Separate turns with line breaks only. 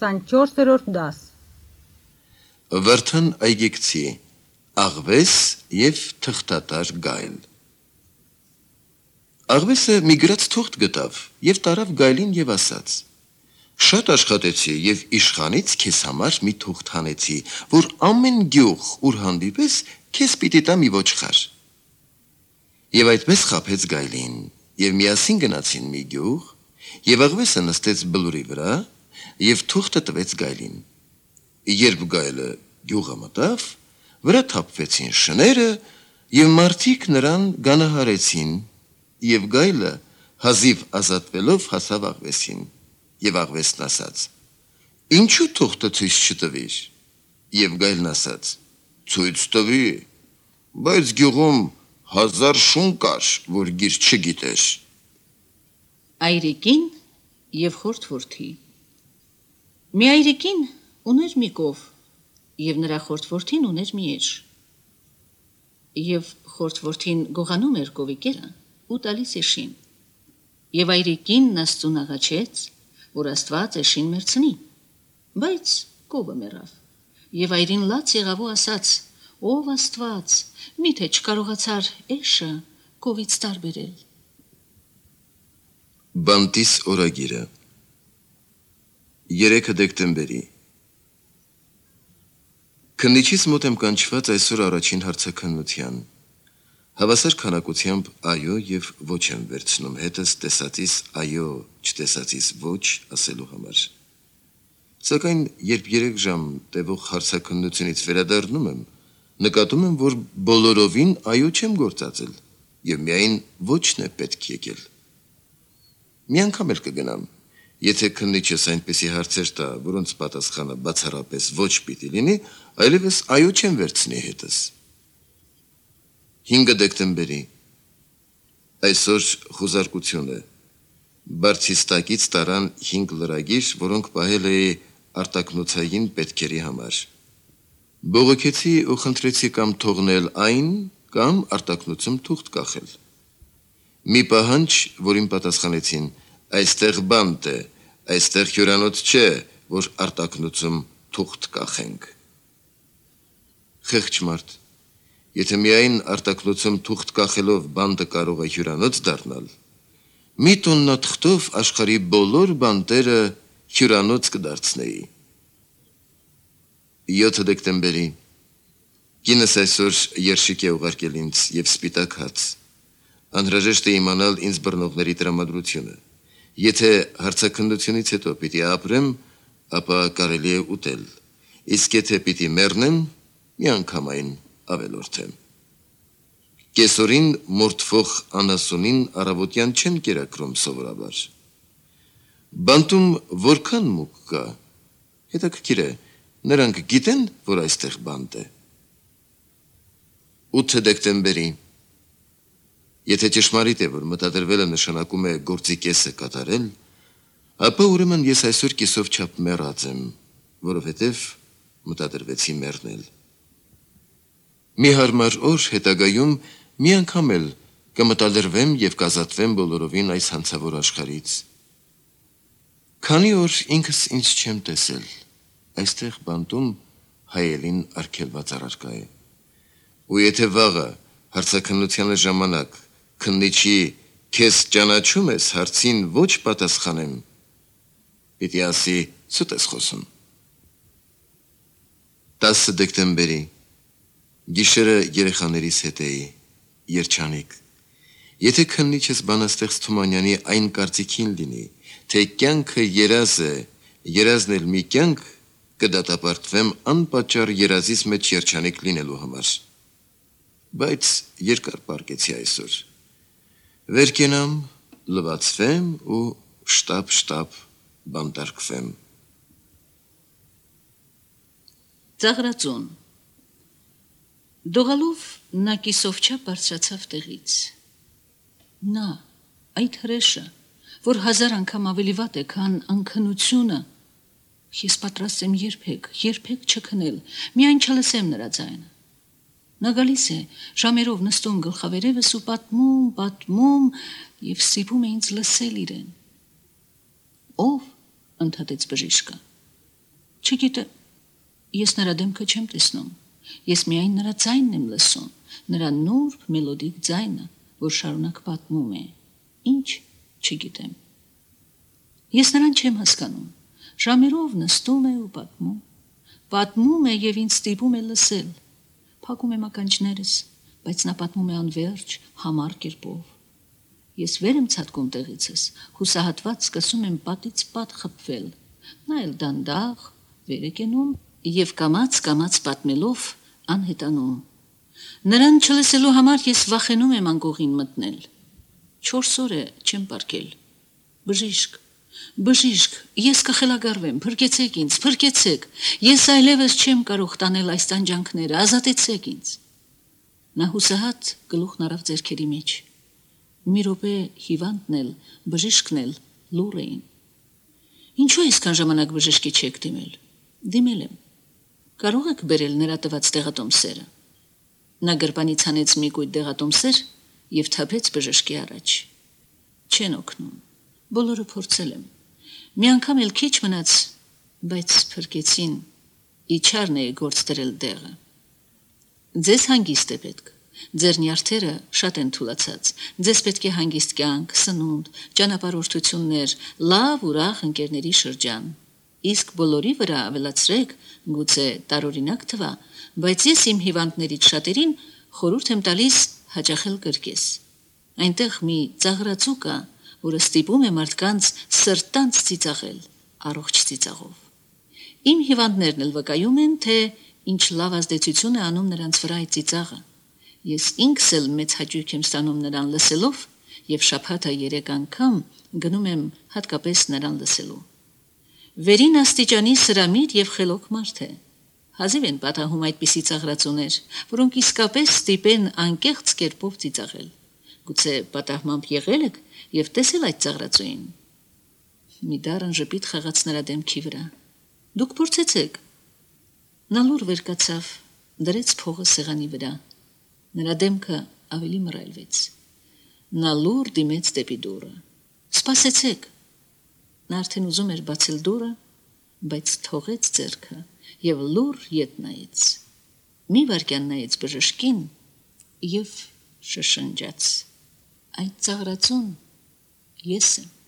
24-րդ դաս։
Վրթան այգեկցի, աղվես և թղթատար գայլ։ Աղվեսը մի գրած թուղթ գտավ և տարավ գայլին և ասաց. «Շատ աշխատեցի և իշխանից քեզ համար մի թուղթ հանեցի, որ ամեն գյուղ, ուր հանդիպես, քեզ պիտի տա մի ոչխար»։ Եվ այդպես խաբեց գայլին, և միասին գնացին մի գյուղ, և աղվեսը նստեց բլուրի վրա, և թուղթը տվեց գայլին։ Երբ գայլը գյուղը մտավ, վրա թափվեցին շները, և մարդիկ նրան գանահարեցին, և գայլը հազիվ ազատվելով հասավ աղվեսին, և աղվեսն ասաց. «Ինչու թուղթը ցույց չտվիր»։ Եվ գայլն ասաց. «Ցույց տվի, բայց գյուղում 1000 շուն կար, որ գիր չգիտեր»։
Այրիկին և խորթորդի։ Մի այրիկին ուներ մի կով, և նրա խորթորդին ուներ մի էջ։ Եվ խորթորդին գողանում էր կովի կերը ու տալիս էշին։ Եվ այրիկինն Աստծուն աղաչեց, որ Աստված էշին մեռցնի, բայց կովը մեռավ։ Եվ այրին լաց եղավ ու ասաց. «Ով Աստված, միթե չկարողացար էշը կովից տարբերել»։
Բանտիս օրագիրը 3 դեկտեմբերի։ Քննիչից մոտ եմ կանչված այսօր առաջին հարցաքննության։ Հավասար քանակությամբ այո և ոչ եմ վերցնում հետս տեսածիս այո, չտեսածիս ոչ ասելու համար։ Սակայն երբ 3 ժամ տևող հարցաքննությունից վերադառնում եմ, նկատում եմ, որ բոլորովին այո չեմ գործածել, և միայն ոչն է պետք եկել։ Մի անգամ էլ կգնամ, եթե քննիչս այնպիսի հարցեր տա, որոնց պատասխանը բացառապես ոչ պիտի լինի, այլևս այո չեմ վերցնի հետս։ 5 դեկտեմբերի։ Այսօր խուզարկություն է։ Բարձիստակից տարան 5 լրագիր, որոնք պահել էի արտակնոցային պետքերի համար։ Բողոքեցի ու խնդրեցի կամ թողնել այն, կամ արտակնոցում թուղթ կախել։ Մի պահանջ, որին պատասխանեցին. «Այստեղ բանտ է, այստեղ հյուրանոց չէ, որ արտակնոցում թուղթ կախենք»։ Խեղճ մարդ, եթե միայն արտակնոցում թուղթ կախելով բանտը կարող է հյուրանոց դառնալ, մի տոննա թղթով աշխարհի բոլոր բանտերը հյուրանոց կդարձնեի։ 7 դեկտեմբերի։ Կինս այսօր երշիկ է ուղարկել ինձ և սպիտակ հաց։ Անհրաժեշտ է իմանալ ինձ բռնողների տրամադրությունը։ Եթե հարցաքննությունից հետո պիտի ապրեմ, ապա կարելի է ուտել, իսկ եթե պիտի մեռնեմ, միանգամայն ավելորդեմ։ Կեսօրին մորթվող անասունին առավոտյան չեն կերակրում սովորաբար։ Բանտում որքան մուկ կա, հետաքրքիր է, նրանք գիտեն, որ այստեղ բանտ է։ 8 դեկտեմբերի։ Եթե ճշմարիտ է, որ մտադրվելը նշանակում է գործի կեսը կատարել, ապա ուրեմն ես այսօր կեսով չափ մեռած եմ, որովհետև մտադրվեցի մեռնել։ Մի հարմար օր հետագայում մի անգամ էլ կմտադրվեմ և կազատվեմ բոլորովին այս հանցավոր աշխարհից։ Քանի օր ինքս ինձ չեմ տեսել, այստեղ բանտում հայելին արգելված առարկա է։ Ու եթե վաղը հարցաքննության ժամանակ քննիչի «Քեզ ճանաչում ես» հարցին ոչ պատասխանեմ, պիտի ասի սուտ ես խոսում։ 10 դեկտեմբերի։ Գիշերը երեխաներիս հետ էի, երջանիկ։ Եթե քննիչս բանաստեղծ Թումանյանի այն կարծիքին լինի, թե կյանքը երազ է, երազն էլ մի կյանք, կդատապարտվեմ անպատճառ երազիս մեջ երջանիկ լինելու համար։ Բայց երկար պառկեցի այսօր։ Վեր կենամ, լվացվեմ ու շտապ բանտարկվեմ։
Ծաղրածուն։ Դողալով նա կիսով չափ բարձրացավ տեղից։ Նա, այդ հրեշը, որ 1000 անգամ ավելի վատ է, քան անքնությունը, ես պատրաստ եմ երբեք չքնել, միայն չլսեմ նրա ձայնը։ Նա գալիս է, ժամերով նստում գլխավերևս ու պատմում և ստիպում է ինձ լսել իրեն։ Ով, ընդհատեց բժիշկը, Չգիտեմ, ես նրա դեմքը չեմ տեսնում, ես միայն նրա ձայնն եմ լսում, նրա նուրբ մելոդիկ ձայնը, որ շարունակ պատմում է, ինչ չգիտեմ։ Ես նրան չեմ հասկանում, ժամերով նստում է ու պատմում է և ինձ ստիպում է լսել, փակում եմ ականջներս, բայց նա պատմում է անվերջ, համառ կերպով։ Ես վեր եմ ցատկում տեղիցս, հուսահատված սկսում եմ պատից պատ խփվել, նա էլ դանդաղ վեր է կենում և կամաց պատմելով անհետանում։ Նրան չլսելու համար ես վախենում եմ անկողին մտնել։ 4 օր է չեմ պառկել։ Բժիշկ, ես կխելագարվեմ, փրկեցեք ինձ, ես այլևս չեմ կարող տանել այս տանջանքները, ազատեցեք ինձ։ Նա հուսահատ գլուխն առավ ձեռքերի մեջ։ Մի րոպե հիվանդն էլ, բժիշկն էլ լուռ էին։ Ինչու այսքան ժամանակ բժշկի չեք դիմել։ Դիմել եմ։ Կարող եք բերել նրա տված դեղատոմսերը։ Նա գրպանից հանեց մի կույտ դեղատոմսեր և թափեց բժշկի առաջ։ Չեն օգնում։ Բոլորը փորձել եմ։ Մի անգամ էլ քիչ մնաց, բայց փրկեցին, իջարն է գործ դրել դեղը։ Ձեզ հանգիստ է պետք։ Ձեր նյարդերը շատ են թուլացած, ձեզ պետք է հանգիստ կյանք, սնունդ, ճանապարհորդություններ, լավ ուրախ ընկերների շրջան։ Իսկ բոլորի վրա ավելացրեք, գուցե տարօրինակ թվա, բայց ես իմ հիվանդներից շատերին խորհուրդ եմ տալիս հաճախել կրկես։ Այնտեղ մի ծաղրածու կա, որը ստիպում է մարդկանց սրտանց ծիծաղել, առողջ ծիծաղով։ Իմ հիվանդներն էլ վկայում են, թե ինչ լավ ազդեցություն է անում նրանց վրա այդ ծիծաղը։ Ես ինքս էլ մեծ հաճույք եմ ստանում նրան լսելով և շաբաթը 3 անգամ գնում եմ հատկապես նրան լսելու։ Վերին աստիճանի սրամիտ և խելոք մարդ է։ Հազիվ են պատահում այդպիսի ծաղրածուներ, որոնք իսկապես ստիպեն անկեղծ կերպով ծիծաղել։ Գուցե պատահմամբ եղել եք և տեսել այդ ծաղրածուին։ Մի դառն ժպիտ խաղաց նրա դեմքի վրա։ Դուք փորձեցեք։ Նա լուռ վեր կացավ, դրեց փողը սեղանի վրա։ Նրա դեմքը ավելի մռայլվեց։ Նա լուռ դիմեց դեպի դուռը։ Սպասեցեք։ Նա արդեն ուզում էր բացել դուռը, բայց թողեց ձեռքը և լուռ ետ նայեց։ Մի վայրկյան նայեց բժշկին և շշնջաց. այդ ծաղրածուն ես եմ։